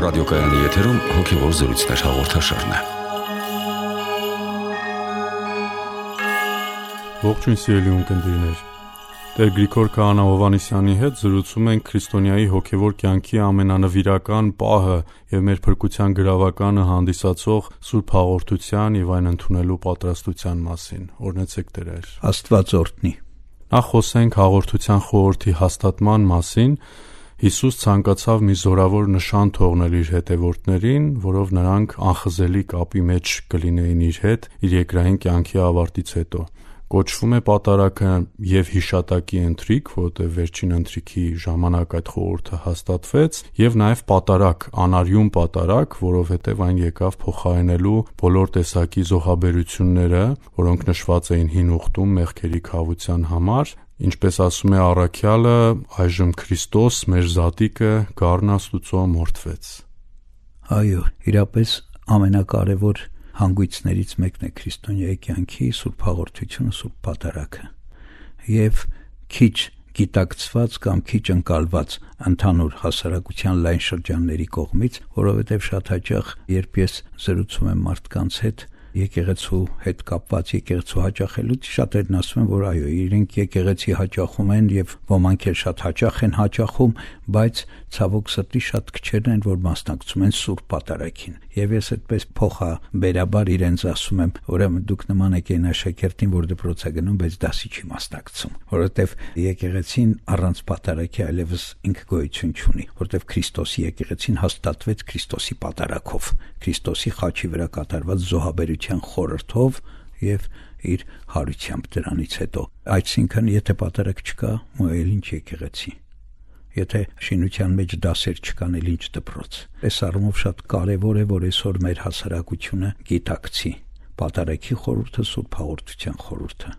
ռադիոկայանի եթերում հոգևոր զրույցներ հաղորդաշարն է։ Ողջույն սիրելի ունկնդիրներ։ Տեր Գրիգոր Քահանա Հովհաննիսյանի հետ զրուցում ենք քրիստոնյայի հոգևոր կյանքի ամենանվիրական պահը եւ մեր փրկության գրավականը հանդիսացող Սուրբ Հաղորդության եւ այն ընդունելու պատրաստության մասին։ Օրհնեցեք Տեր։ Աստված օրհնի։ Նախ խոսենք հաղորդության խորհրդի հաստատման մասին։ Հիսուս ցանկացավ մի զորավոր նշան թողնել իր հետևորդներին, որով նրանք անխզելի կապի մեջ կլինեին իր հետ իր երկրային կյանքի ավարտից հետո։ Կոչվում է պատարագը եւ հիշատակի ընթրիք, որտեղ վերջին ընթրիքի ժամանակ այդ խորհուրդը հաստատվեց, եւ նաեւ պատարագ, անարյուն պատարագ, որովհետեւ այն եկավ փոխարինելու բոլոր տեսակի զոհաբերությունները, որոնք նշված էին հին ուխտում մեղքերի քավության համար, ինչպես ասում է առաքյալը, այժմ Քրիստոս, մեր զատիկը, գառն Աստուծո մորթվեց։ Այո, իրապես ամենակարևոր հանգույցներից մեկն է քրիստոնյայի կյանքի Սուրբ Հաղորդությունը, Սուրբ Պատարագը, եւ քիչ գիտակցված կամ քիչ ընկալված ընդհանուր հասարակության լայն շրջանների կողմից, որովհետեւ շատ հաճախ, երբ ես զրուցում եմ մարդկանց հետ եկեղեցու հետ կապված, եկեղեցու հաճախելուց, շատերն ասում են, որ այո, իրենք եկեղեցի հաճախում են եւ ոմանք էլ շատ հաճախ են հաճախում, բայց ցավոք սրտի շատ քչերն են, որ մասնակցում են Սուրբ Պատարագին։ Եվ ես այդպես փոխաբերաբար իրենց ասում եմ, ուրեմն դուք նման եք այն աշակերտին, որ դպրոց է գնում, բայց դասի չի մասնակցում, որովհետեւ եկեղեցին առանց պատարագի այլևս ինքը գոյություն չունի, որովհետեւ Քրիստոսի եկեղեցին հաստատվեց Քրիստոսի պատարագով, Քրիստոսի խաչի վրա կատարված զոհաբերության խորհրդով եւ իր հարությամբ դրանից հետո։ Այսինքն, եթե պատարագ չկա, էլ ինչ եկեղեցի։ Եթե շինության մեջ դասեր չկան, էլ ինչ դպրոց։ Այս առումով շատ կարևոր է, որ այսօր մեր հասարակությունը գիտակցի պատարագի խորհուրդը, Սուրբ Հաղորդության խորհուրդը։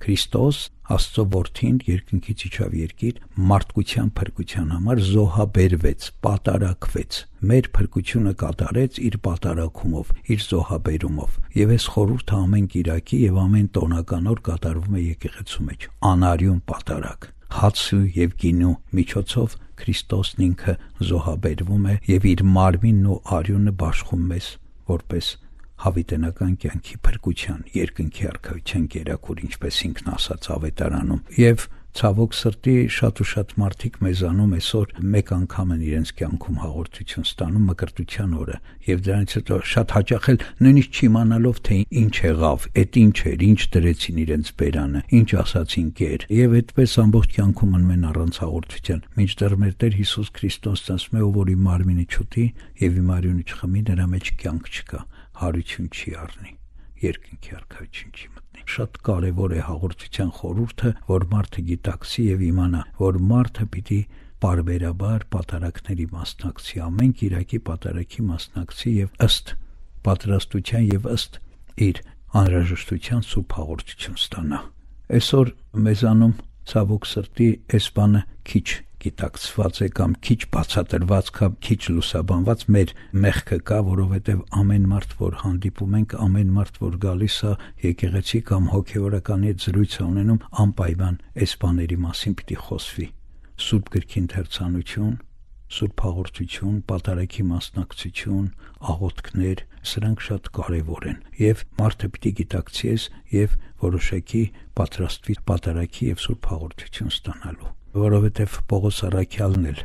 Քրիստոս, Աստծո որդին, երկնքից իջավ երկիր, մարդկության փրկության համար զոհաբերվեց, պատարագվեց, մեր փրկությունը կատարեց իր պատարագումով, իր զոհաբերումով։ Եվ այս խորհուրդը ամեն կիրակի եւ ամեն տոնական օր կատարվում է եկեղեցու մեջ, անարյուն պատարագ։ Հացու եւ գինու միջոցով Քրիստոսն ինքը զոհաբերվում է եւ իր մարմինն ու արյունը բաշխում մեզ որպես հավիտենական կյանքի փրկության, երկնքի արքայության կերակուր, ինչպես ինքն ասաց Ավետարանում։ Եվ ցավոք սրտի շատ մարդիկ մեզանում այսօր մեկ անգամ են իրենց կյանքում հաղորդություն ստանում մկրտության օրը, եւ դրանից հետո շատ հաճախ էլ նույնիսկ չիմանալով թե ինչ եղավ, այդ ինչ էր, ինչ դրեցին իրենց բերանը, ինչ ասացին կեր, եւ այդպես ամբողջ կյանքում մնում են առանց հաղորդության, մինչդեռ մեր Տեր Հիսուս Քրիստոսն ասում է, ով որ իմ մարմինը չուտի եւ իմ արյունը չխմի, նրա մեջ կյանք չկա, հարություն չի առնի, երկնքի արքայություն չի մտնի։ Շատ կարևոր է հաղորդության խորհուրդը, որ մարդը գիտակցի եւ իմանա, որ մարդը պիտի բարբերաբար պատարագների մասնակցի, ամեն կիրակի պատարագի մասնակցի եւ ըստ պատրաստության եւ ըստ իր անհրաժեշտության Սուրբ Հաղորդություն ստանա։ Այսօր մեզանում ցավոք սրտի այս բանը քիչ գիտակցված է կամ քիչ բացատրված կամ քիչ լուսաբանված մեր մեղքը կա, որովհետև ամեն մարդ, որ հանդիպում ենք, ամեն մարդ, որ գալիս է եկեղեցի կամ հոգևորականի հետ զրույց ունենում, անպայման այս բաների մասին պիտի խոսվի։ Սուրբ գրքի ընթերցանություն, Սուրբ Հաղորդություն, պատարագի մասնակցություն, աղոթքներ, սրանք շատ կարևոր են եւ մարդը պիտի գիտակցի եւ որոշակի պատրաստվի պատարագի եւ Սուրբ Հաղորդություն ստանալու, որովհետեւ Պողոս առաքյալն էլ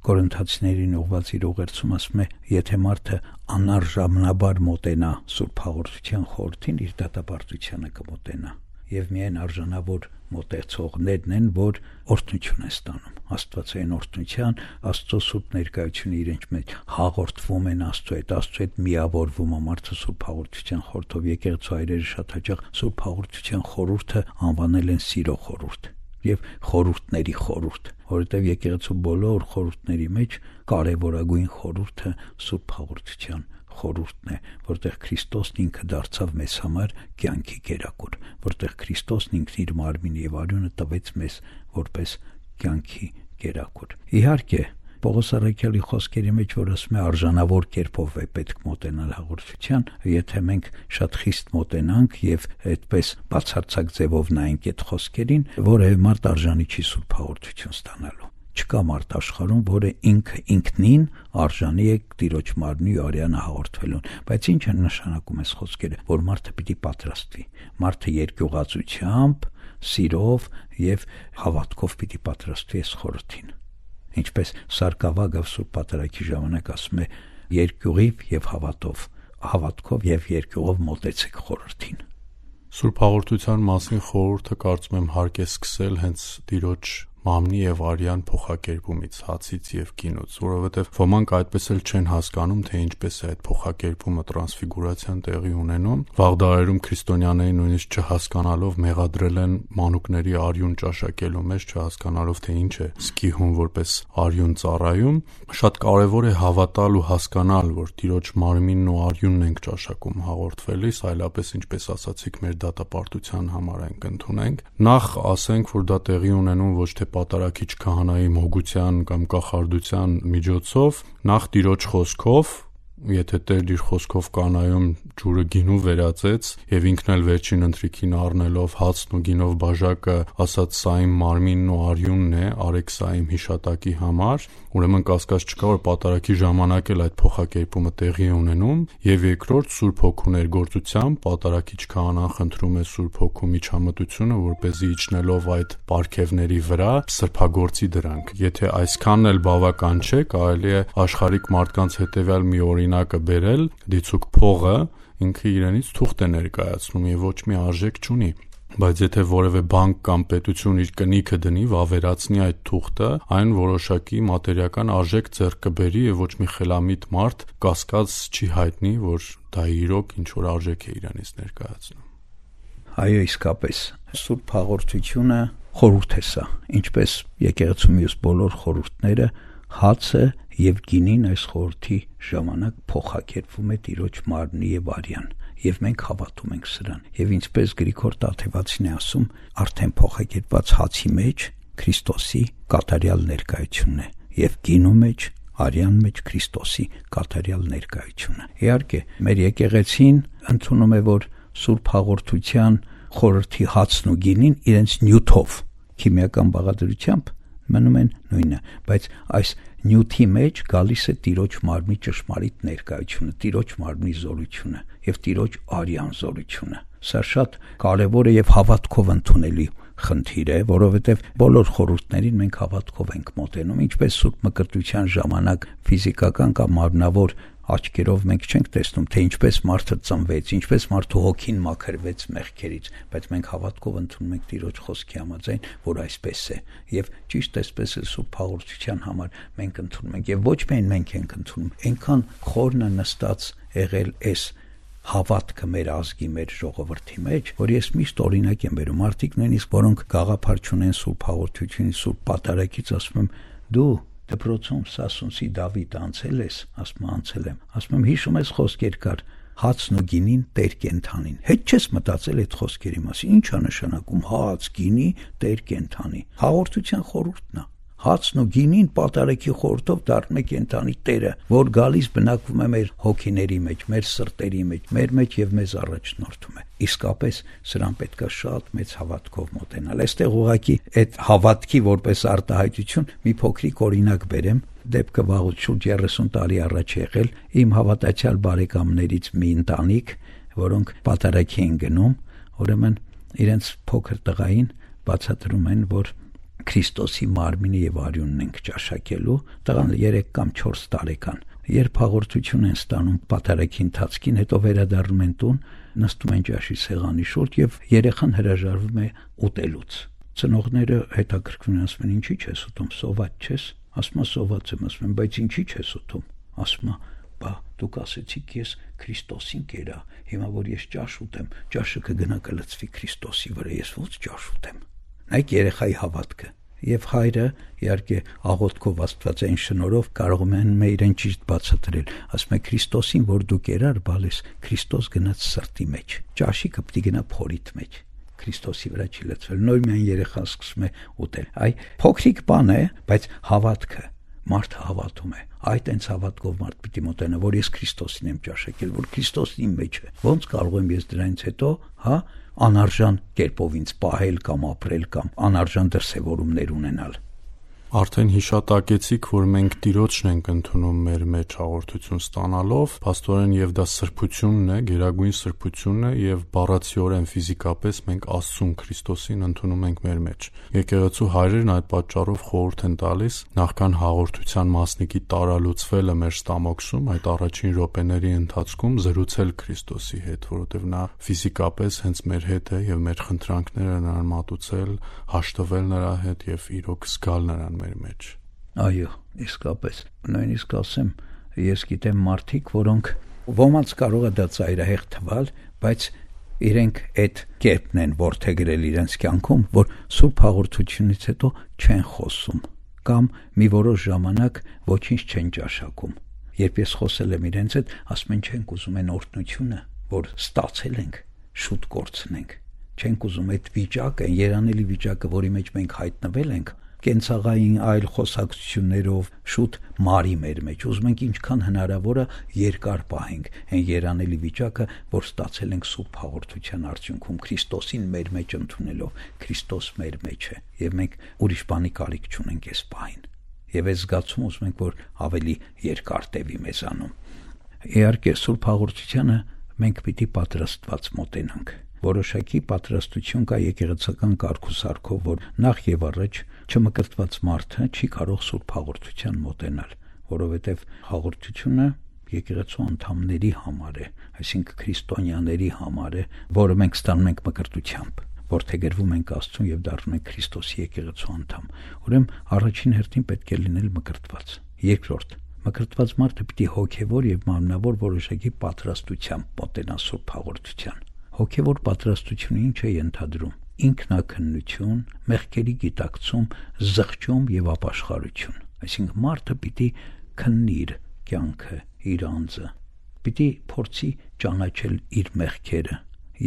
Կորինթացիներին ուղված իր ուղերձում ասում է, եթե մարդը անարժանաբար մոտենա Սուրբ Հաղորդության խորհրդին, իր դատապարտությանը կմոտենա։ Եվ միայն արժանավոր մոտեցողներն են, որ օրհնություն են ստանում, Աստվածային օրհնության, Աստծո սուրբ ներկայությունը իրենց մեջ հաղորդվում են Աստծո հետ միավորվում է մարդը Սուրբ Հաղորդության խորհրդով։ Եկեղեցու հայրերը շատ հաճախ Սուրբ Հաղորդության խորհուրդը անվանել են սիրո խորհուրդ եւ խորհուրդների խորհուրդ, որովհետեւ եկեղեցու բոլոր խորհուրդների մեջ կարևորագույն խորհուրդը Սուրբ Հաղորդության խորհուրդն է, որտեղ Քրիստոսն ինքը դարձավ մեզ համար կյանքի կերակուր, որտեղ Քրիստոսն ինքն իր մարմինը եւ արյունը տվեց մեզ որպես կյանքի կերակուր։ Իհարկե, Պողոս առաքյալի խոսքերի մեջ, որ ասում է արժանավոր կերպով է պետք մոտենալ հաղորդության, եթե մենք շատ խիստ մոտենանք եւ այդպես բացարձակ ձևով նայենք այդ խոսքերին, որևէ մարդ արժանի չի Սուրբ Հաղորդություն ստանալու։ Չկա մարդ աշխարհում, որը ինքնին արժանի է Տիրոջ մարմնի ու արյանը հաղորդվելուն, բայց ինչ են նշանակում այս խոսքերը, որ մարդը պիտի պատրաստվի, մարդը երկյուղածությամբ, սիրով եւ հավատքով պիտի պատրաստվի այս խորհրդին։ Ինչպես Սարգսակը Սուրբ Պատարագի ժամանակ ասում է, երկյուղիվ եւ հավատքով եւ երկյուղով մոտեցեք խորհրդին։ Սուրբ հաղորդության մասին խորհուրդը կարծում եմ հարկ է սկսել հենց Տիրոջ մամնի եւ արյան փոխակերպումից, հացից եւ գինուց, որովհետեւ ոմանք այդպես էլ չեն հասկանում, թե ինչպես է այդ փոխակերպումը տրանսֆիգուրացիան տեղի ունենում։ Վաղ դարերում քրիստոնյաները նույնիսկ չհասկանալով մեղադրել են մանուկների արյուն ճաշակելու մեջ, չհասկանալով թե ինչ է սկիհուն որպես արյուն ծառայում։ Շատ կարեւոր է հավատալ ու հասկանալ, որ Տիրոջ մարմինն ու արյունն ենք ճաշակում հաղորդվելիս, այլապես ինչպես ասացիք, մեր դատապարտության համար ենք ընդունենք։ Նախ ասենք, որ դա տեղի ունենում ոչ թե պատարագիչ քահանայի մոգության կամ կախարդության միջոցով, նախ Տիրոջ խոսքով, եթե Տերն իր խոսքով կանայում ջուրը գինու վերածեց եւ ինքն էլ վերջին ընթրիքին առնելով հացն ու գինով բաժակը ասաց սա իմ մարմինն ու արյունն է, արեք սա իմ հիշատակի համար, ուրեմն կասկած չկա, որ պատարագի ժամանակ էլ այդ փոխակերպումը տեղի է ունենում եւ երկրորդ Սուրբ Հոգու ներգործությամբ պատարագիչ քահանան խնդրում է Սուրբ Հոգու միջամտությունը, որպեսզի իջնելով այդ պարգևների վրա սրբագործի դրանք։ Եթե այսքանն էլ բավական չէ, կարելի է աշխարհիկ մարդկանց հետեւյալ մի օրինակը բերել, դիցուկ փողը ինքը իրենից թուղթ է ներկայացնում եւ ոչ մի արժեք չունի, բայց եթե որևէ բանկ կամ պետություն իր կնիքը դնի, վավերացնի այդ թուղթը, այն որոշակի մատերիական արժեք ձեռք կբերի եւ ոչ մի խելամիտ մարդ կասկած չի հայտնի, որ դա իրոք ինչ որ արժեք է իրենից ներկայացնում։ Այո, իսկապես Սուրբ հաղորդությունը խորհուրդ է սա, ինչպես եկեղեցու մյուս բոլոր խորհուրդները, հացը եւ գինին այս խորհրդի ժամանակ փոխակերպվում է Տիրոջ մարմնի եւ արյան, եւ մենք հավատում ենք սրան։ Եվ ինչպես Գրիգոր Տաթևացին է ասում, արդեն փոխակերպված հացի մեջ Քրիստոսի կատարյալ ներկայությունն է եւ գինու մեջ, արյան մեջ Քրիստոսի կատարյալ ներկայությունը։ Իհարկե, մեր եկեղեցին ընդունում է, որ Սուրբ հաղորդության խորհրդի հացն ու գինին իրենց նյութով, քիմիական բաղադրությամբ մնում են նույնը, բայց այս նյութի մեջ գալիս է Տիրոջ մարմնի ճշմարիտ ներկայությունը, Տիրոջ մարմնի զորությունը եւ Տիրոջ արյան զորությունը։ Սա շատ կարեւոր է եւ հավատքով ընդունելի խնդիր է, որովհետեւ բոլոր խորհուրդներին մենք հավատքով ենք մոտենում, ինչպես Սուրբ Մկրտության ժամանակ ֆիզիկական կամ մարմնավոր աչքերով մենք չենք տեսնում, թե ինչպես մարդը ծնվեց, ինչպես մարդու հոգին մաքրվեց մեղքերից, բայց մենք հավատքով ընդունում ենք Տիրոջ խոսքի համաձայն, որ այսպես է, եւ ճիշտ այսպես է Սուրբ հաղորդության համար մենք ընդունում ենք, եւ ոչ միայն մենք ենք ընդունում, այնքան խորն է նստած եղել այս հավատքը մեր ազգի, մեր ժողովրդի մեջ, որ ես միշտ օրինակ եմ բերում, մարդիկ նույնիսկ որոնք գաղափար չունեն Սուրբ հաղորդությունից, Սուրբ պատարագից, ասում եմ, դու դպրոցում Սասունցի Դավիթ անցել ես, ասում անցել եմ, ասում եմ հիշում ես խոսքեր կար, հացն ու գինին Տեր կենթանին, հետ չես մտածել այդ խոսքերի մասին, ինչ է նշանակում հաց, գինի, Տեր կենթանի, հաղորդության խորհուրդն է, հացն ու գինին պատարագի խորհրդով դառնում է կենթանի Տերը, որ գալիս բնակվում է մեր հոգիների մեջ, մեր սրտերի մեջ եւ մեզ առաջնորդում է։ Իսկապես սրան պետքա շատ մեծ հավատքով մոտենալ։ Այստեղ ուղղակի այդ հավատքի որպես արտահայտություն մի փոքրիկ օրինակ բերեմ, դեպքը վաղուց շուրջ 30 տարի առաջ եղել իմ հավատացյալ բարեկամներից մի ընտանիք, որոնք պատարագի են գնում, ուրեմն իրենց փոքր տղային բացատրում են, որ Քրիստոսի մարմինը եւ արյունն ենք ճաշակելու, տղան 3 կամ 4 տարեկան։ Երբ հաղորդություն են ստանում պատարագի ընթացքին, հետո վերադառնում են տուն, նստում են ճաշի սեղանի շուրջ եւ երեխան հրաժարվում է ուտելուց։ Ծնողները հետաքրքրվում են, ասում են, ինչի՞ չես ուտում, սոված չես։ Ասում է, սոված եմ, ասում են, բայց ինչի՞ չես ուտում։ Ասում է, բա դուք ասեցիք ես Քրիստոսին կերա, հիմա որ ես ճաշ ուտեմ, ճաշը կգնա կլցվի Քրիստոսի վրա, ես ո՞նց ճաշ ուտեմ։ Նայեք երեխայի հավատքը։ Եվ հայրը իհարկե աղոթքով Աստվածային շնորհով կարողում են իրեն ճիշտ բացատրել, ասում է Քրիստոսին, որ դու կերար բալես, Քրիստոս գնաց սրտի մեջ, ճաշիկը պիտի գնա փորիդ մեջ, Քրիստոսի վրա չի լցվել, նույնիսկ երեխան սկսում է ուտել։ Այ փոքրիկ բան է, բայց հավատքը, մարդը հավատում է, այդ այնց հավատքով մարդ պիտի մոտենա, որ ես Քրիստոսին եմ ճաշակել, որ Քրիստոսն իմ մեջ է, ոնց կարող եմ ես դրանից հետո, անարժան կերպով ինձ պահել կամ ապրել կամ անարժան դրսևորումներ ունենալ։ Արդեն հիշատակեցիք, որ մենք Տիրոջն ենք ընդունում մեր մեջ հաղորդություն ստանալով, փաստորեն եւ դա սրբությունն է, գերագույն սրբությունն է եւ բառացիորեն ֆիզիկապես մենք Աստծուն Քրիստոսին ընդունում ենք մեր մեջ։ Եկեղեցու հայրերն այդ պատճառով խորհուրդ են տալիս նախքան հաղորդության մասնիկի տարալուծվելը մեր ստամոքսում, այդ առաջին րոպեների ընթացքում զրուցել Քրիստոսի հետ, որովհետեւ նա ֆիզիկապես հենց մեր հետ է եւ մեր խնդրանքները նրան մատուցել, հաշտվել նրա հետ եւ իրոք զգալ նրան մեր մեջ։ Այո, իսկապես։ Նույնիսկ ասեմ, ես գիտեմ մարդիկ, որոնք ոմանց կարող է դա ծայրահեղ թվալ, բայց իրենք այդ կերպն են որդեգրել իրենց կյանքում, որ սուրբ հաղորդությունից հետո չեն խոսում կամ մի որոշ ժամանակ ոչինչ չեն ճաշակում։ Երբ ես խոսել եմ իրենց հետ, ասում են չենք ուզում այն օրհնությունը, որ ստացել ենք, շուտ կորցնենք։ Չենք ուզում այդ վիճակը, երանելի վիճակը, որի մեջ մենք հայտնվել ենք, կենցաղային այլ խոսակցություններով շուտ մարի մեր մեջ։ Ուզում ենք ինչքան հնարավոր է երկար պահենք այն երանելի վիճակը, որ ստացել ենք սուրբ հաղորդության արդյունքում Քրիստոսին մեր մեջ ընդունելով։ Քրիստոս մեր մեջ է եւ մենք ուրիշ բանի կարիք չունենք այս պահին։ Եվ այս զգացումը ուզում ենք, որ ավելի երկար տևի մեզանում։ Իհարկե սուրբ հաղորդությանը մենք պիտի պատրաստված մոտենանք։ Որոշակի պատրաստություն կա եկեղեցական կարգուսարքով, որ նախ եւ առաջ չմկրտված մարդը չի կարող սուրբ հաղորդության մոտենալ, որովհետեւ հաղորդությունը եկեղեցու անդամների համար է, այսինքն քրիստոնյաների համար է, որը մենք ստանում ենք մկրտությամբ, որդեգրվում ենք Աստծուն եւ դառնում ենք Քրիստոսի եկեղեցու անդամ։ Ուրեմն առաջին հերթին պետք է լինել մկրտված։ Երկրորդ, մկրտված մարդը պիտի հոգեվոր եւ մարմնավոր որոշակի պատրաստությամբ մոտենա սուրբ հաղորդության։ Հոգևոր պատրաստությունը ինչ է ենթադրում։ Ինքնակնություն, մեղքերի գիտակցում, զղջում եւ ապաշխարություն։ Այսինքն մարդը պիտի քննի իր կյանքը, իր անձը, պիտի փորձի ճանաչել իր մեղքերը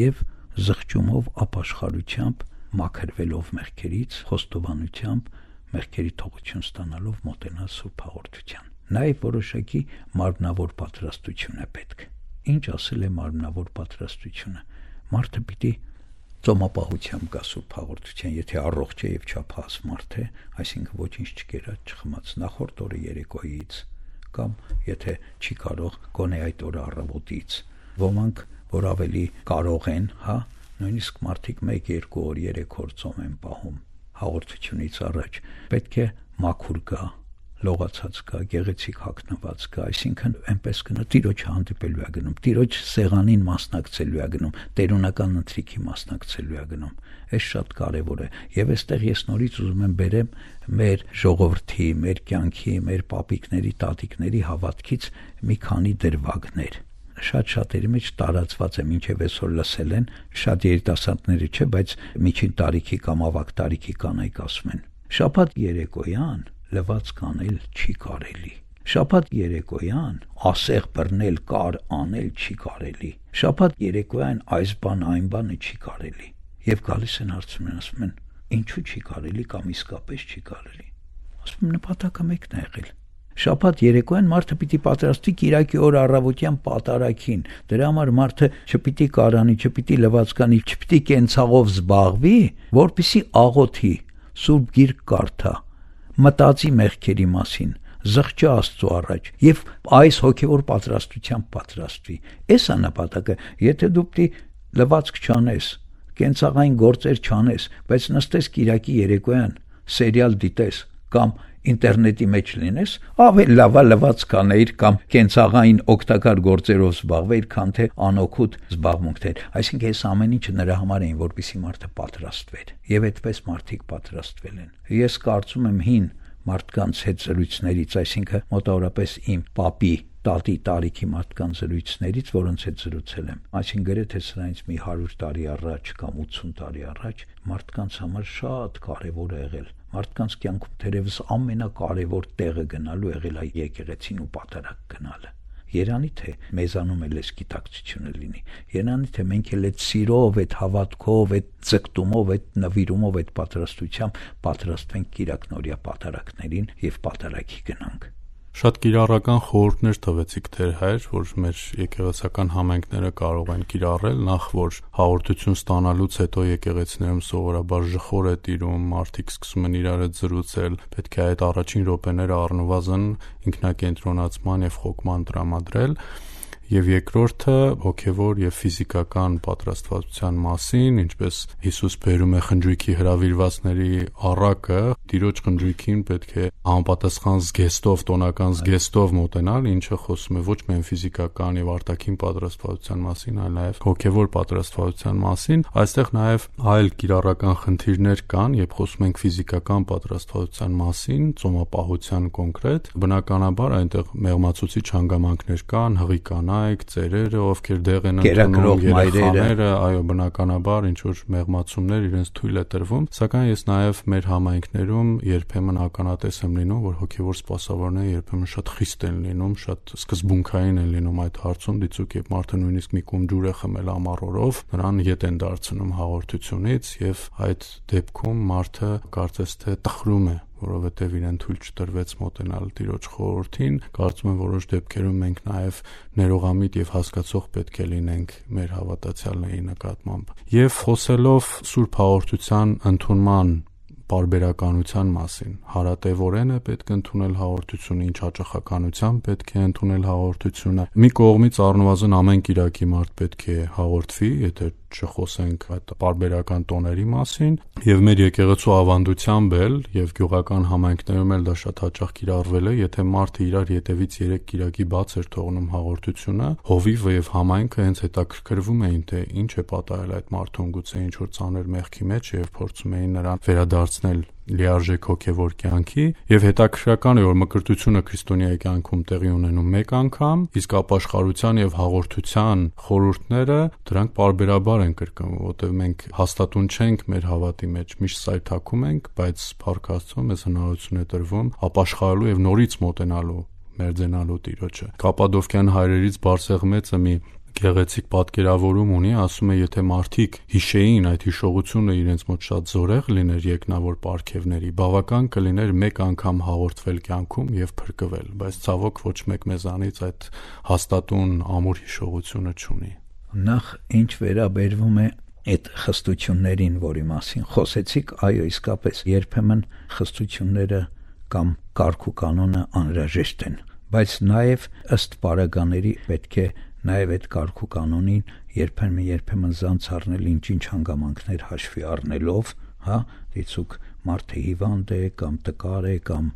եւ զղջումով, ապաշխարությամբ, մաքրվելով մեղքերից, խոստովանությամբ, մեղքերի թողություն ստանալով մոտենա սուրբ հաղորդության։ Նաեւ որոշակի մարմնավոր պատրաստություն է պետք։ Ինչ ասել է մարմնավոր պատրաստությունը։ Մարդը պիտի ծոմապահությամբ գա սուրբ հաղորդության, եթե առողջ է եւ չափահաս մարդ է, այսինքն ոչինչ չկերած չխմած նախորդ օրը երեկոյից, կամ եթե չի կարող գոնե այդ օրը առավոտից։ Ոմանք, որ ավելի կարող են, նույնիսկ մարդիկ 1-2 օր 3 օր ծոմ են պահում հաղորդությունից առաջ, պետք է մաքուր գա, լողացած կա, գեղեցիկ հագնված կա, այսինքն այնպես կնա Տիրոջ հանդիպելու է գնում, Տիրոջ սեղանին մասնակցելու է գնում, տերունական ընթրիքի մասնակցելու է գնում։ Այս շատ կարևոր է եւ այստեղ ես նորից ուզում եմ բերեմ մեր ժողովրդի, մեր կյանքի, մեր պապիկների, տատիկների հավատքից մի քանի դրվագներ։ Շատ-շատերի մեջ տարածված է, մինչև այսօր լսել են, շատ երիտասարդները չէ, բայց միջին տարիքի կամ ավագ տարիքի կանայք ասում են. շաբաթ երեկոյան լվացք անել չի կարելի։ Շաբաթ երեկոյան ասեղ բռնել, կար անել չի կարելի։ Շաբաթ երեկոյան այս բան այն բանը չի կարելի։ Եվ գալիս են հարցում են, ասում են, ինչու չի կարելի կամ իսկապես չի կարելի։ Ասում եմ, նպատակը մեկն է եղել։ Շաբաթ երեկոյան մարդը պիտի պատրաստվի Կիրակի օր առավոտյան պատարագին։ Դրա համար մարդը չպիտի կարանի, չպիտի լվացկանի, չպիտի կենցաղով զբաղվի, որպեսզի աղոթի, Սուրբ Գիրք կարդա, մտածի մեղքերի մասին, զղջա Աստծո առաջ եւ այս հոգեվոր պատրաստությամբ պատրաստվի։ Էս է նպատակը։ Եթե դու պիտի լվացք չանես, կենցաղային գործեր չանես, բայց նստես Կիրակի երեկոյան սերիալ դիտես կամ ինտերնետի մեջ լինես, ավելի լավ է լվացք անեիր կամ կենցաղային օգտակար գործերով զբաղվեիր, քան թե անօգուտ զբաղմունքներ։ Այսինքն այս ամեն ինչը նրա համար էին, որպեսզի մարդը պատրաստվեր։ Եվ այդպես մարդիկ պատրաստվել են։ Ես կարծում եմ հին մարդկանց հետ զրույցներից, այսինքն մոտավորապես իմ պապի, տատի տարիքի մարդկանց զրույցներից, որոնց հետ զրուցել եմ, այսինքն գրեթե սրանից մի 100 տարի առաջ կամ 80 տարի առաջ, մարդկանց համար շատ կարևոր է եղել։ Մարդկանց կյանքում թերևս ամենակարևոր տեղը գնալու եղել է եկեղեցին ու պատարագ գնալը։ Երանի թե մեզանում էլ էս գիտակցությունը լինի։ Երանի թե մենք էլ այդ սիրով, այդ հավատքով, այդ ձգտումով, այդ նվիրումով, այդ պատրաստությամբ պատրաստվենք Կիրակնորիա պատարագներին եւ պատարագի գնանք։ Շատ կիրառական խորհուրդներ տվեցիք Տեր Հայր, որ մեր եկեղեցական համայնքները կարող են կիրառել, նախ որ հաղորդություն ստանալուց հետո եկեղեցիներում սովորաբար ժխոր է տիրում, մարդիկ սկսում են իրար հետ զրուցել, պետք է այդ առաջին րոպեները առնվազն ինքնակենտրոնացման եւ խոկման տրամադրել։ Եվ երկրորդը հոգևոր եւ ֆիզիկական պատրաստվածության մասին, ինչպես Հիսուս բերում է խնջույքի հրավիրվածների առակը, Տիրոջ խնջույքին պետք է համապատասխան զգեստով, տոնական զգեստով մոտենալ, ինչը խոսում է ոչ միայն ֆիզիկական եւ արտաքին պատրաստվածության մասին, այլ նաեւ հոգևոր պատրաստվածության մասին։ Այստեղ նաեւ այլ կիրառական խնդիրներ կան, երբ խոսում ենք ֆիզիկական պատրաստվածության մասին, ծոմապահության կոնկրետ, բնականաբար այնտեղ մեղմացուցիչ հանգամանքներ կան, հղի կանայք, ծերերը, ովքեր դեղ են ընդունում, երեխաները, այո, բնականաբար ինչ որ մեղմացումներ իրենց թույլ է տրվում, սակայն ես նաեւ մեր համայնքներում երբեմն ականատես եմ լինում, որ հոգևոր սպասավորները երբեմն շատ խիստ են լինում, շատ սկզբունքային են լինում այդ հարցում, դիցուք երբ մարդը նույնիսկ մի կում ջուր է խմել ամառորով, նրան ետ են դարձնում հաղորդությունից եւ այդ դեպքում մարդը կարծես թե տխրում է, որովհետև իրեն թույլ չտրվեց մոտենալ Տիրոջ խորհրդին, կարծում եմ որոշ դեպքերում մենք նաև ներողամիտ եւ հասկացող պետք է լինենք մեր հավատացյալների նկատմամբ։ Եվ խոսելով Սուրբ Հաղորդության ընդունման պարբերականության մասին, հարատևորեն է պետք ընդունել հաղորդությունը, ինչ հաճախականությամբ պետք է ընդունել հաղորդությունը։ Մի կողմից առնվազն ամեն կիրակի մարդ պետք է հաղորդվի, եթե չխոսենք այդ պարբերական տոների մասին, եւ մեր եկեղեցու ավանդությամբ էլ եւ գյուղական համայնքներում էլ դա շատ հաճախ կիրառվել է, եթե մարդը իրար ետևից 3 կիրակի բաց էր թողնում հաղորդությունը, հովիվը եւ համայնքը հենց հետաքրքրվում էին, թե ինչ է պատահել այդ մարդուն, գուցե ինչ որ ծանր մեղքի մեջ եւ փորձում էին նրան վերադարձնել լիարժեք հոգևոր կյանքի, եւ հետաքրքրական է, որ մկրտությունը քրիստոնյայի կյանքում տեղի ունենում մեկ անգամ, իսկ ապաշխարության եւ հաղորդության խորհուրդները դրանք պարբերաբար են կրկնվում, որտեղ մենք հաստատուն չենք մեր հավատի մեջ, միշտ սայթաքում ենք, բայց Փառք Աստծո մեզ հնարավորություն է տրվում ապաշխարելու եւ նորից մոտենալու մերձենալու Տիրոջը։ Կապադովկյան հայրերից Բարսեղմեցը մի գեղեցիկ պատկերավորում ունի, ասում է, եթե մարդիկ հիշեին այդ հիշողությունը իրենց մոտ շատ զորեղ լիներ երկնավոր պարգևների, բավական կլիներ մեկ անգամ հաղորդվել կյանքում եւ փրկվել, բայց ցավոք ոչ մեկ մեզանից այդ հաստատուն ամուր հիշողությունը չունի։ Նախ ինչ վերաբերվում է այդ խստություններին, որի մասին խոսեցիք, այո, իսկապես երբեմն խստությունները կամ կարգ ու կանոնը անհրաժեշտ են, բայց նաեւ ըստ պարագաների պետք է նաև այդ կարգ ու կանոնին երբեմն զանց առնել ինչ-ինչ հանգամանքներ հաշվի առնելով, դիցուք մարդը հիվանդ է կամ տկար է կամ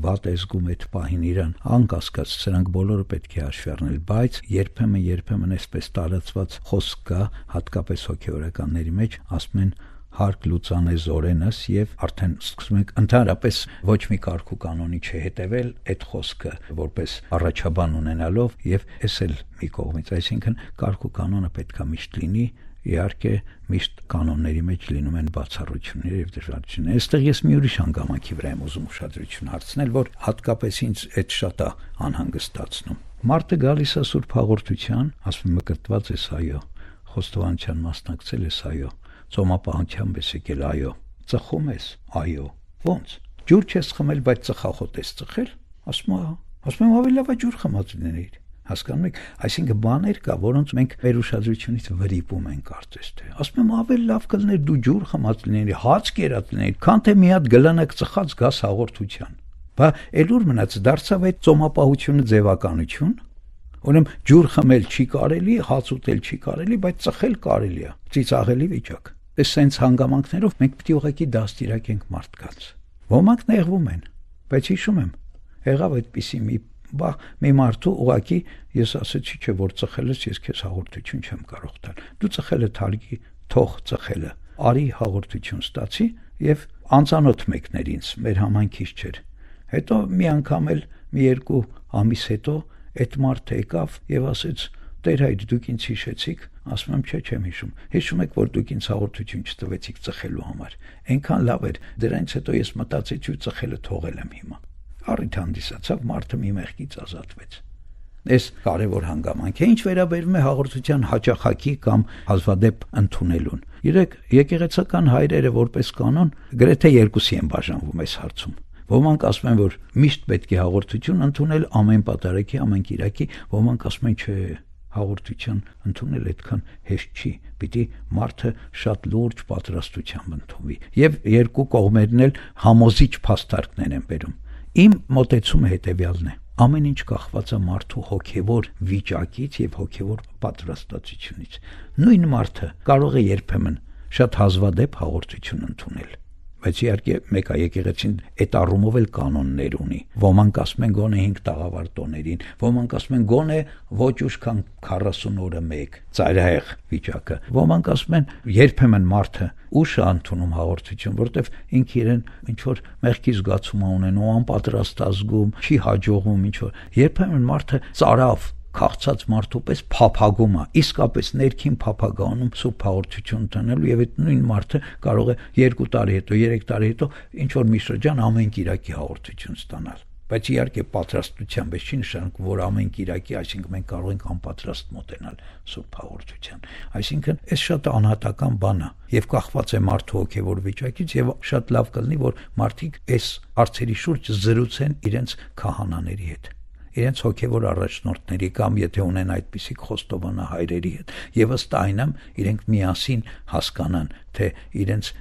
վատ է զգում այդ պահին իրան, անկասկած սրանք բոլորը պետք է հաշվի առնել, բայց երբեմն այսպես տարածված խոսք կա, հատկապես հոգեորականների մեջ, ասում են հարկ լուծան է զորենս եւ արդեն սկսում ենք ընդհանրապես ոչ մի կարգ ու կանոնի չհետեւել այդ խոսքը որպես առաջաբան ունենալով եւ էս էլ մի կողմից, այսինքն կարգ ու կանոնը պետքա միշտ լինի, իհարկե միշտ կանոնների մեջ լինում են բացառություններ եւ դժվարություններ։ Այստեղ ես մի ուրիշ հանգամանքի վրա եմ ուզում ուշադրություն հարցնել, որ հատկապես ինձ այդ շատ է անհանգստացնում։ Մարդը գալիս է Սուրբ Հաղորդության, ասում մկրտված ես, այո, խոստովանության մասնակցել ես, այո, ծոմապահությամբ ես եկել, այո, ծխում ես, այո, ո՞նց, ջուր չես խմել, բայց ծխախոտ ես ծխել, ասում եմ ավելի լավ է ջուր խմած լինեիր, հասկանում եք, այսինքն բաներ կա, որոնց մենք մեր ուշադրությունից վրիպում ենք, կարծես թե, ասում եմ ավելի լավ կլներ դու ջուր խմած լինեիր, հաց կերած լինեիր, քան թե մի հատ գլանակ ծխած գաս հաղորդության, բա էլուր մնաց, դարձավ այդ ծոմապահությունը ձևականություն, ուրեմն ջուր խմել չի կարելի, հաց ուտել չի կարելի, բայց ծխել կարելի է, ծիծաղելի վիճակ։ Այս սենց հանգամանքներով մենք պետք է ուղղակի դաստիարակենք մարդկանց։ Ոմանք նեղվում են, բայց հիշում եմ, եղավ այդպիսի մի մարդու ուղղակի ես ասեցի, չէ, որ ծխել ես, ես քեզ հաղորդություն չեմ կարող տալ։ Դու ծխել ես թարգի, թող ծխելը։ Արի հաղորդություն ստացի եւ անծանոթ մեկներ ինձ, մեր համայնքից չէր։ Հետո մի անգամ էլ մի 2 ամիս հետո այդ մարդը եկավ եւ ասեց. «Տեր Հայր, դուք ինձ հիշեցիք», ասում եմ, չէ, չեմ հիշում։ Հիշում եք, որ դուք ինձ հաղորդություն չտվեցիք ծխելու համար։ Այնքան լավ էր, դրանից հետո ես մտածեցի ու ծխելը թողել եմ հիմա։ Առիթ հանդիսացավ, մարդը մի մեղքից ազատվեց։ Այս կարևոր հանգամանք է, ինչ վերաբերում է հաղորդության հաճախակի կամ հազվադեպ ընդունելուն։ Եկեղեցական հայրերը որպես կանոն գրեթե երկուսի են բաժանվում այս հարցում։ Ոմանք ասում են, որ միշտ պետք է հաղորդություն ընդունել ամեն պատարագի, ամեն կիրակի, ոմանք ասում են, չէ, հաղորդություն ընդունել այդքան հեշտ չի, պիտի մարդը շատ լուրջ պատրաստությամբ ընդունվի։ Եվ երկու կողմերն էլ համոզիչ փաստարկներ են բերում։ Իմ մոտեցումը հետևյալն է. ամեն ինչ կախված է մարդու հոգևոր վիճակից եւ հոգևոր պատրաստվածությունից։ Նույն մարդը կարող է երբեմն շատ հազվադեպ հաղորդություն ընդունել, բայց իհարկե մեկ է եկեղեցին այդ առումով էլ կանոններ ունի։ Ոմանք ասում են գոնե 5 տաղավար տոներին, ոմանք ասում են գոնե ոչ ուշ քան 40 օրը մեկ, ծայրահեղ վիճակը։ Ոմանք ասում են երբեմն մարդը ուշ է ընդունում հաղորդություն, որտեվ ինքը իրեն ինչ որ մեղքի զգացում ունենում, անպատրաստ ազգում, չի հաջողվում ինչ որ։ Երբեմն մարդը ծարավ քաղցած մարդու պես փափագում է, իսկապես ներքին փափագանում սուրբ հաղորդություն տանելու, եւ այդ նույն մարդը կարող է 2 տարի հետո, 3 տարի հետո ինչ որ մի շրջան ամեն կիրակի հաղորդություն ստանալ։ Բայց իհարկե պատրաստությամբ չի նշանակում, որ ամեն կիրակի, այսինքն մենք կարող ենք անպատրաստ մոտենալ սուրբ հաղորդության։ Այսինքն այս շատ անհատական բան է եւ կախված է մարդու հոգեվոր վիճակից, եւ շատ լավ կլինի, որ մարդիկ այս հարցերի շուրջ զրուցեն իրենց քահանաների հետ, իրենց հոգևոր առաջնորդների կամ եթե ունեն այդպիսի խոստովանահայրերի հետ, եւ ըստ այնամ իրենք միասին հասկանան, թե իրենց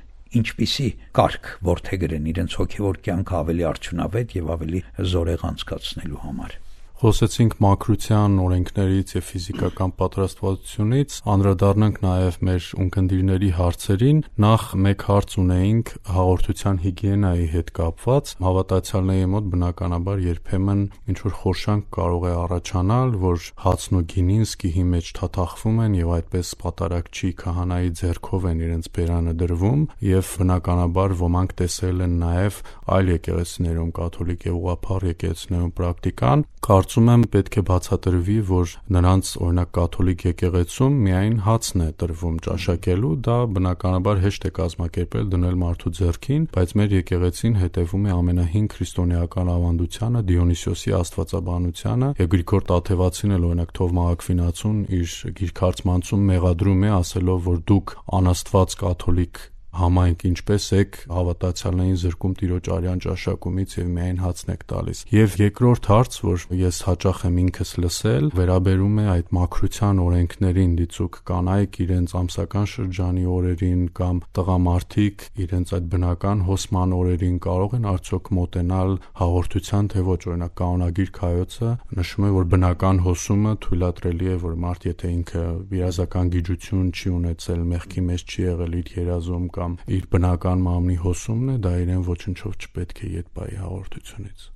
ինչպիսի կարգ որդեգրեն իրենց հոգևոր կյանքը ավելի արդյունավետ եւ ավելի զորեղ անցկացնելու համար։ Խոսեցինք մաքրության օրենքներից եւ ֆիզիկական պատրաստվածությունից, անդրադառնանք նաեւ մեր ունկնդիրների հարցերին։ Նախ մեկ հարց ունեինք հաղորդության հիգիենայի հետ կապված։ Հավատացյալների մոտ բնականաբար երբեմն ինչ որ խորշանք կարող է առաջանալ, որ հացն ու գինին սկիհի մեջ թաթախվում են եւ այդպես պատարագչի քահանայի ձեռքով են իրենց բերանը դրվում, եւ բնականաբար ոմանք տեսել են նաեւ այլ եկեղեցիներում, կաթոլիկ եւ ուղղափառ եկեղեցիներում պրակտիկան։ Կարծում եմ պետք է բացատրվի, որ նրանց օրինակ կաթոլիկ եկեղեցում միայն հացն է տրվում ճաշակելու, դա բնականաբար հեշտ է կազմակերպել դնել մարդու ձեռքին, բայց մեր եկեղեցին հետևում է ամենահին քրիստոնեական ավանդությանը, Դիոնիսիոսի աստվածաբանությանը, եւ Գրիգոր Տաթևացին էլ օրինակ Թովմա Ակվինացուն իր գիրքարծմանցում մեղադրում է, ասելով, որ դուք անաստված կաթոլիկ համայնք ինչպես եք հավատացյալներին զրկում Տիրոջ արյան ճաշակումից եւ միայն հացն եք տալիս։ Եվ երկրորդ հարց, որ ես հաճախ եմ ինքս լսել, վերաբերում է այդ մաքրության օրենքներին, դիցուք կանայք իրենց ամսական շրջանի օրերին կամ տղամարդիկ իրենց այդ բնական հոսման օրերին կարող են արդյոք մոտենալ հաղորդության, թե ոչ։ Օրինակ կանոնագիր Քայոցը նշում է, որ բնական հոսումը թույլատրելի է, որ մարդ եթե ինքը վիրազական գիջություն չի ունեցել, մեղքի մեջ չի եղել իր երազում կամ իր բնական մամնի հոսումն է, դա իրեն ոչնչով չպետք է ետ բայի հաղորդությունից։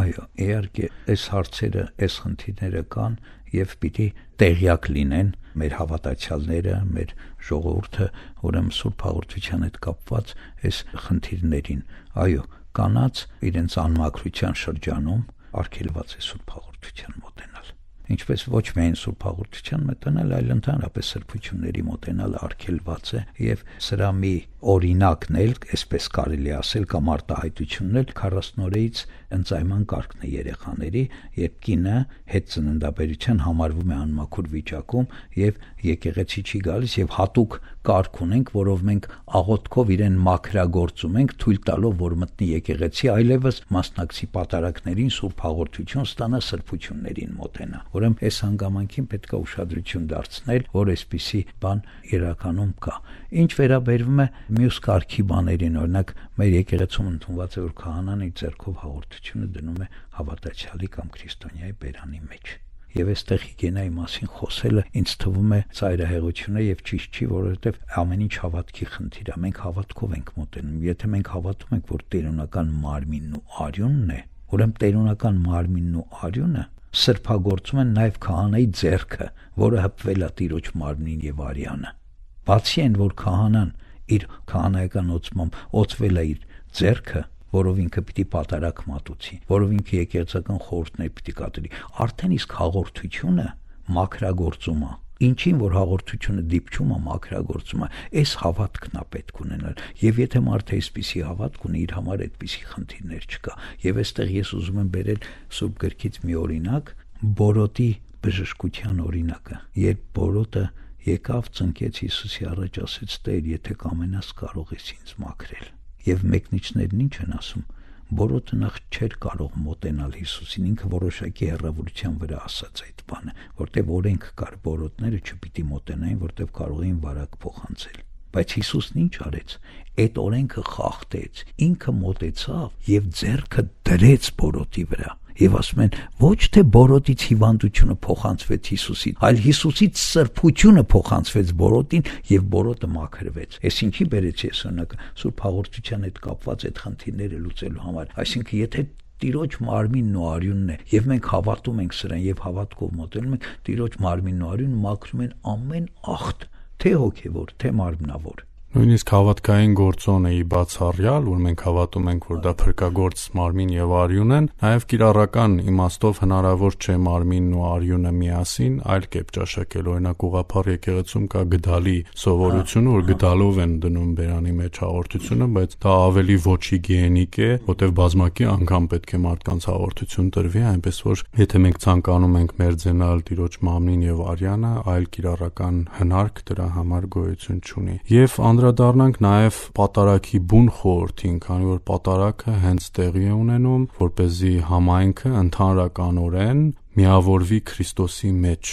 Այո, իհարկե, այս հարցերը, այս խնդիրները կան եւ պիտի տեղյակ լինեն մեր հավատացյալները, մեր ժողովուրդը, ուրեմն սուրբ հաղորդության հետ կապված այս խնդիրներին։ Այո, կանանց իրենց անմաքրության շրջանում արգելված է սուրբ հաղորդության մոտենալ։ Ինչպես ոչ միայն սուրբ հաղորդության մոտենալ, այլ ընդհանրապես սրբությունների մոտենալ արգելված է, եւ սրա մի օրինակն էլ, այսպես կարելի ասել, կամ արտահայտությունն էլ 40 օրից ընծայման կարգն է երեխաների, երբ կինը հետ ծննդաբերության համարվում է անմաքուր վիճակում եւ եկեղեցի չի գալիս, եւ հատուկ կարգ ունենք, որով մենք աղոթքով իրեն մաքրագործում ենք, թույլ տալով, որ մտնի եկեղեցի, այլևս մասնակցի պատարագներին, սուրբ հաղորդություն ստանա, սրբություններին մոտենա։ Ուրեմն այս հանգամանքին պետք է ուշադրություն դարձնել, որ այսպիսի բան իրականում կա։ Ինչ վերաբերվում է մյուս կարգի բաներին, օրինակ մեր եկեղեցում ընդունված է, որ քահանան իր ձեռքով հաղորդությունը դնում է հավատացյալի կամ քրիստոնյայի բերանի մեջ։ Եվ այստեղ հիգիենայի մասին խոսելը ինձ թվում է ծայրահեղություն է եւ ճիշտ չի, որովհետեւ ամեն ինչ հավատքի խնդիր է։ Մենք հավատքով ենք մոտենում։ Եթե մենք հավատում ենք, որ տերունական մարմինն ու արյունն է, ուրեմն տերունական մարմինն ու արյունը սրբագործում են նաեւ քահանայի ձեռքը, որը հպվել է Տիրոջ մարմնին եւ արյանը։ Բացի այն, որ քահանան իր քահանայական օծմամբ օծվել է իր ձեռքը, որով ինքը պիտի պատարակ մատուցի, որով ինքը եկեղեցական խորհուրդներ պիտի կատարի, արդեն իսկ հաղորդությունը մաքրագործում է։ Ինչին որ հաղորդությունը դիպչում է, մաքրագործում է, այս հավատքն է պետք ունենալ։ Եվ եթե մարդը այսպիսի հավատք ունի, իր համար այդպիսի խնդիրներ չկա։ Եվ այստեղ ես ուզում եմ բերել Սուրբ գրքից մի օրինակ, Բորոտի բժշկության օրինակը, երբ Բորոտը եկավ, ծնկեց Հիսուսի առաջ, ասեց. «Տեր, եթե կամենաս, կարող ես ինձ մաքրել»։ Եվ մեկնիչներն ինչ են ասում, Բորոտը նախ չէր կարող մոտենալ Հիսուսին, ինքը որոշակի հեռավորության վրա ասաց այդ բանը, որտեվ օրենք կար, բորոտները չպիտի մոտենային, որտեվ կարող էին վարակ փոխանցել։ Բայց Հիսուսն ինչ արեց։ Այդ օրենքը խախտեց, ինքը մոտեցավ եւ ձեռքը դրեց բորոտի վրա։ Եվ ասում են, ոչ թե բորոտից հիվանդությունը փոխանցվեց Հիսուսին, այլ Հիսուսից սրբությունը փոխանցվեց բորոտին եւ բորոտը մաքրվեց։ Այս ինչի բերեց ես օրինակ Սուրբ Հաղորդության հետ կապված այդ խնդիրները լուծելու համար։ Այսինքն, եթե Տիրոջ մարմինն ու արյունն է, եւ մենք հավատում ենք սրան եւ հավատքով մոտենում ենք, Տիրոջ մարմինն ու արյունը մաքրում են ամեն ախտ, թե հոգեվոր, թե մարմնավոր։ Նույնիսկ հավատքային գործոնը ի բացառյալ, որ մենք հավատում ենք, որ դա փրկագործ մարմին եւ արյուն են, նաեւ կիրառական իմաստով հնարավոր չէ մարմինն ու արյունը միասին այլ կերպ ճաշակել։ Օրինակ ուղղափառ եկեղեցում կա գդալի սովորությունը, որ գդալով են դնում բերանի մեջ հաղորդությունը, բայց դա ավելի ոչ հիգիենիկ է, որտեղ բազմակի անգամ պետք է մարդկանց հաղորդություն տրվի, այնպես որ եթե մենք ցանկանում ենք մերձենալ Տիրոջ մարմնին եւ արյանը, այլ կիրառական հնարք դրա համար գոյություն չունի։ Եվ անդրադառնանք նաև պատարագի բուն խորհրդին, քանի որ պատարագը հենց տեղի է ունենում, որպեսզի համայնքը ընդհանրականորեն միավորվի Քրիստոսի մեջ։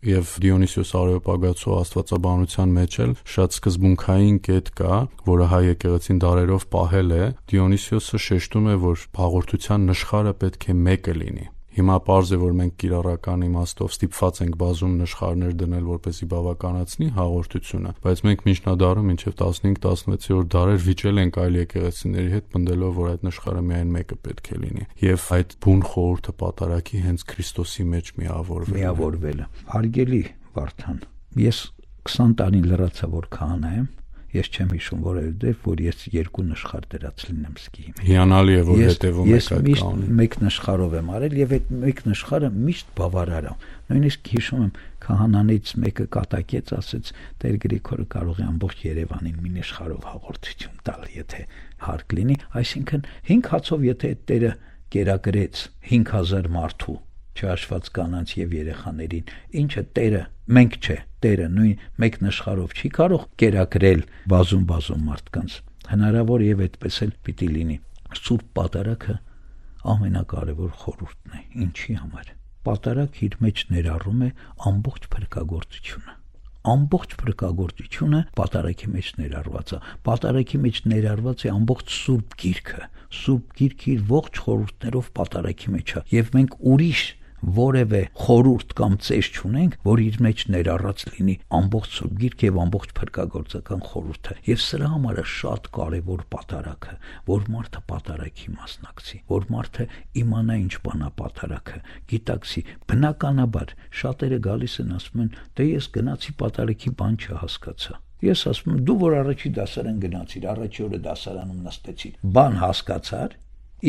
Եվ Դիոնիսիոս Արեոպագացու աստվածաբանության մեջ էլ շատ սկզբունքային կետ կա, որը հայ եկեղեցին դարերով պահել է։ Դիոնիսիոսը շեշտում է, որ հաղորդության նշխարը պետք է մեկը լինի։ Հիմա պարզ է, որ մենք կիրառական իմաստով ստիպված ենք բազում նշխարներ դնել, որպեսզի բավականացնի հաղորդությունը, բայց մենք միջնադարում մինչև 15-16-րդ դարեր վիճել ենք այլ եկեղեցիների հետ, պնդելով, որ այդ նշխարը միայն մեկը պետք է լինի։ Եվ այդ բուն խորհուրդը պատարագի հենց Քրիստոսի մեջ միավորվելը։ Հարգելի Վարդան, ես 20 տարի լրացա, որ քահանա եմ։ Ես չեմ հիշում որևէ որ ես երկու նշխար դրած լինեմ սկի։ Հիանալի է, որ հետևում եք այդ կանոնին։ Ես մեկ նշխարով եմ արել եւ այդ մեկ նշխարը միշտ բավարար է։ Նույնիսկ հիշում եմ քահանաներից մեկը կատակեց, ասեց Տեր Գրիգորը կարող է ամբողջ Երևանին մի նշխարով հաղորդություն տալ, եթե հարկ լինի, այսինքն 5 հացով եթե այդ Տերը կերակրեց 5000 մարդու չհաշված կանանց եւ երեխաներին, ինչը Տերը, մենք չէ, Տերը նույն մեկ նշխարով չի կարող կերակրել բազում մարդկանց։ Հնարավոր եւ այդպես էլ պիտի լինի։ Սուրբ պատարագը ամենակարևոր խորհուրդն է։ Ինչի համար։ Պատարագ իր մեջ ներառում է ամբողջ փրկagorցությունը։ Ամբողջ փրկagorցությունը պատարագի մեջ ներառված է։ Պատարագի մեջ ներառված է ամբողջ Սուրբ Գիրքը։ Սուրբ Գիրքը իր ողջ խորհուրդներով պատարագի մեջ է։ Եվ մենք ուրիշ որևէ խորհուրդ կամ ծես չունենք, որ իր մեջ ներառած լինի ամբողջ Սուրբ Գիրքը եւ ամբողջ փրկagorցական խորհուրդը։ Եվ սրա համար է շատ կարեւոր պատարագը, որ մարդը պատարագի մասնակցի, որ մարդը իմանա ինչ բան է պատարագը, գիտակցի։ Բնականաբար շատերը գալիս են ասում են, դե ես գնացի պատարագի բան չհասկացա։ Ես ասում եմ, դու որ առաջի դասարան գնացիր, առաջի օրը դասարանում նստեցիր, բան հասկացար,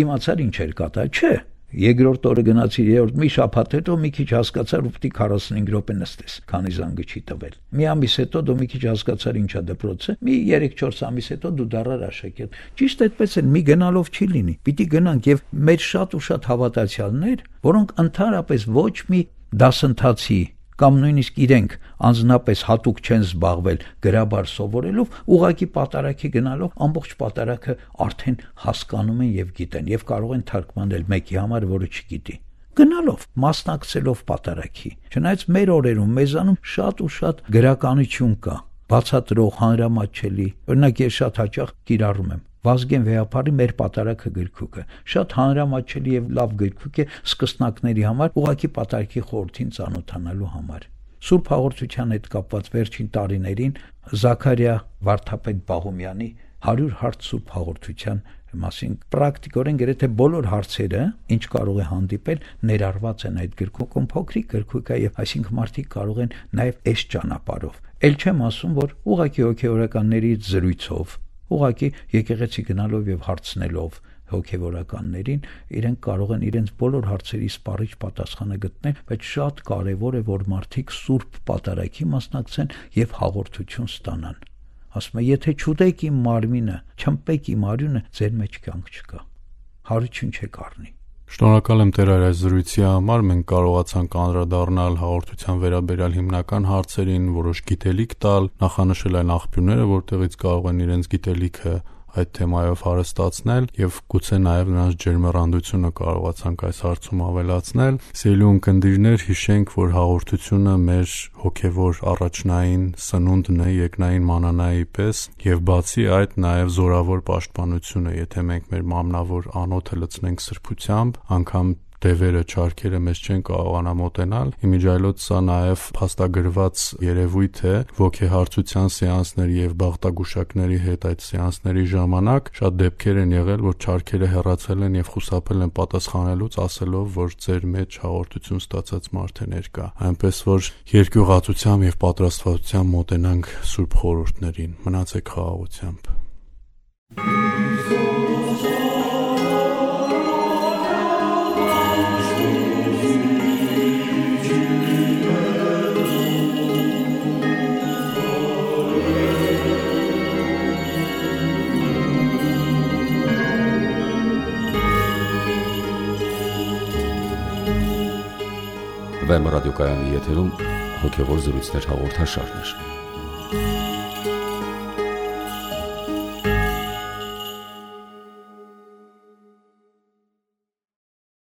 իմացար ինչ էր կատարել, չէ։ Երկրորդ օրը գնացիր, երրորդ մի շաբաթ հետո մի քիչ հասկացար ու պիտի 45 րոպե նստես, քանի զանգը չի տվել։ Մի ամիս հետո դու մի քիչ հասկացար ինչա դպրոցը, մի 3-4 ամիս հետո դու դառար աշակերտ։ Ճիշտ այդպես էլ մի գնալով չի լինի։ Պիտի գնանք եւ մեր շատ ու շատ հավատացյալներ, որոնք ընդհանրապես ոչ մի դասընթացի կամ նույնիսկ իրենք անձնապես հատուկ չեն զբաղվել գրաբար սովորելով, ուղղակի պատարագի գնալով ամբողջ պատարագը արդեն հասկանում են եւ գիտեն եւ կարող են թարգմանել մեկի համար, որը չգիտի։ Գնալով, մասնակցելով պատարագի։ Չնայած մեր օրերում մեզանում շատ ու շատ գրականություն կա, բացատրող, հանրամատչելի։ Օրինակ ես շատ հաճախ կիրառում եմ Վազգեն Վեհապարի մեր պատարագը գրքուկը շատ հանրամատչելի եւ լավ գրքուկ է սկսնակների համար, ուղղակի պատարագի խորհրդին ծանոթանալու համար։ Սուրբ Հաղորդության հետ կապված վերջին տարիներին Զաքարիա Վարդապետ Բաղումյանի 100 հարց Սուրբ Հաղորդության մասին պրակտիկորեն գրեթե բոլոր հարցերը, ինչ կարող է հանդիպել, ներառված են այդ գրքուկում, փոքրիկ գրքուկ է եւ այսինքն մարդիկ կարող են նաեւ այս ճանապարհով։ Էլ չեմ ասում, որ ուղղակի հոգեորականներից զրույցով ուղղակի եկեղեցի գնալով եւ հարցնելով հոգեվորականներին իրենք կարող են իրենց բոլոր հարցերի սպառիչ պատասխանը գտնել, բայց շատ կարեւոր է, որ մարդիկ Սուրբ պատարագի մասնակցեն եւ հաղորդություն ստանան։ Ասում է, եթե չուտեք իմ մարմինը, չմպեք իմ արյունը, ձեր մեջ կյանք չկա։ Հարություն չեք առնի։ Շնորհակալ եմ Տեր այս զրույցի համար, մենք կարողացանք անդրադառնալ հաղորդության վերաբերյալ հիմնական հարցերին, որոշ գիտելիք տալ, նախանշել այն աղբյուրները, որտեղից կարող են իրենց գիտելիքը այդ թեմայով հարստացնել եւ գուցե նաեւ նրանց ջերմեռանդությունը կարողացանք այս հարցում ավելացնել։ Սիրելի ունկնդիրներ, հիշենք, որ հաղորդությունը մեր հոգեվոր առաջնային սնունդն է երկնային մանանայի պես եւ բացի այդ նաեւ զորավոր պաշտպանություն է, եթե մենք մեր մամնավոր անոթը լցնենք սրբությամբ, անգամ դևերը, չարքերը մեզ չեն կարողանա մոտենալ։ Իմիջիայլոց սա նաև փաստագրված երևույթ է ոգեհարցության սեանսների եւ բաղտագուշակների հետ այդ սեանսների ժամանակ շատ դեպքեր են եղել, որ չարքերը հեռացել են եւ խուսափել են պատասխանելուց, ասելով, որ ձեր մեջ հաղորդություն ստացած մարդ է ներկա։ Այնպես որ երկյուղացությամբ եւ պատրաստվածությամբ մոտենանք սուրբ խորհուրդներին։ Մնացեք խաղաղությամբ։ Վեմ ռադիոկայանի եթերում հոգևոր զրույցներ հաղորդաշարներ։